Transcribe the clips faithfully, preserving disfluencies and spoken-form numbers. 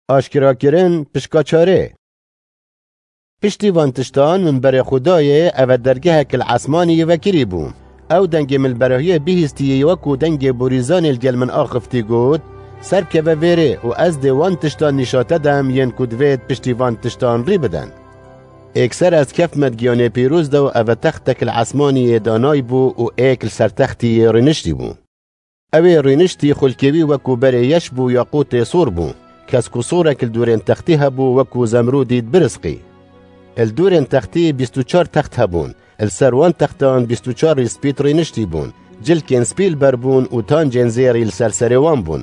Aşkerakirin pişka çarê. Piştî van tiştan min berê xwe dayê, eve dergehek li esmanî vekirî bû. Ew dengê min li berahiyê bihîstiyê wekû dengê borîzanê li gel min axiftî got, "Ser bikeve vêrê û ez dê wan tiştan nîşa te dem yên ku divêt piştî van tiştan rî bidin." Êkser ez kefme di giyanê pîroz de û eve textek li esmanî yê danay bû û êk li ser textî yê rîniştî bû. Ew ê rîniştî xulkê wî wekû berê yeş bû, yaqûtê sor bû. Kesk û sorek li dûrên textî hebû, wekû zemrûdî dibirisqî. Li dûrên textî bîst û çar text hebûn. Li ser wan textan bîst û çar rîspît rîniştî bûn. Cilkên spî li ber bûn û tancên zêrî li ser serê wan bûn.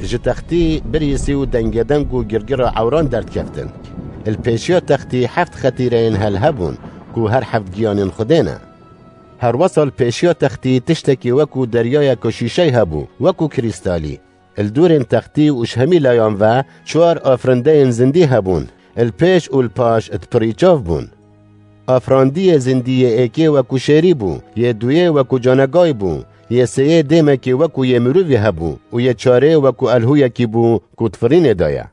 Ji textî birîsî û dengedeng û girgira ewran derdikeftin. Li pêşiya textî heft xetîreyên hel hebûn ku her heft giyanên Xwedê ne. Herwesa li pêşiya textî tiştekî wekû deryayeke şîşey hebû, wekû krîstalî. Li dûrên textî û ji hemî layan ve çar afirindeyên zindî hebûn, li pêş û li paş dipirî çav bûn. Afirandiyê zindî yê êkê wekû şêrî bû, yê duyê wekû canegay bû, yê sêyê dêmekê wekû yê mirovî hebû û yê çarê wekû elhûyekî bû ku di firînê de ye.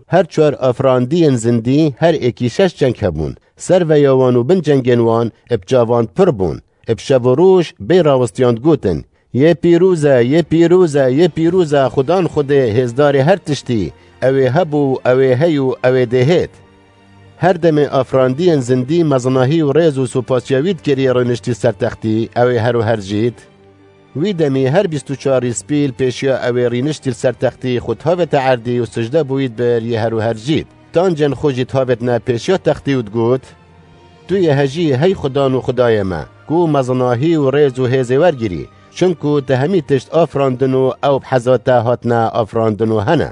Her çar afirandiyên zindî her êkî şeş çeng hebûn. Serveya wan û bin çengên wan bi çavan pir bûn. Bi şev û roj bê rawistiyan digotin, "Yê pîroz e, yê pîroz e, yê pîroz e, Xudan Xwedê, hêzdarê her tiştî, ew ê hebû, ew ê hey û ew ê dê hêt." Her demê afirandiyên zindî mezinahî û rêz û supasiya wî dikirî rûniştî ser textî, ew ê her û her jît. Wî demî her bîst û çar rîspî li pêşiya ew ê rîniştî li ser textî xwe dihavête erdî û sicde bo wî dibir, yê her û her jît. Tancên xwe jî dihavêtine pêşiya textî û digot, "Tu yê hejî hey Xudan û Xwedayê me, ku mezinahî û rêz û hêzê wergirî, çinku te hemî tişt afirandin û ew bi heza te hatine afirandin û hene."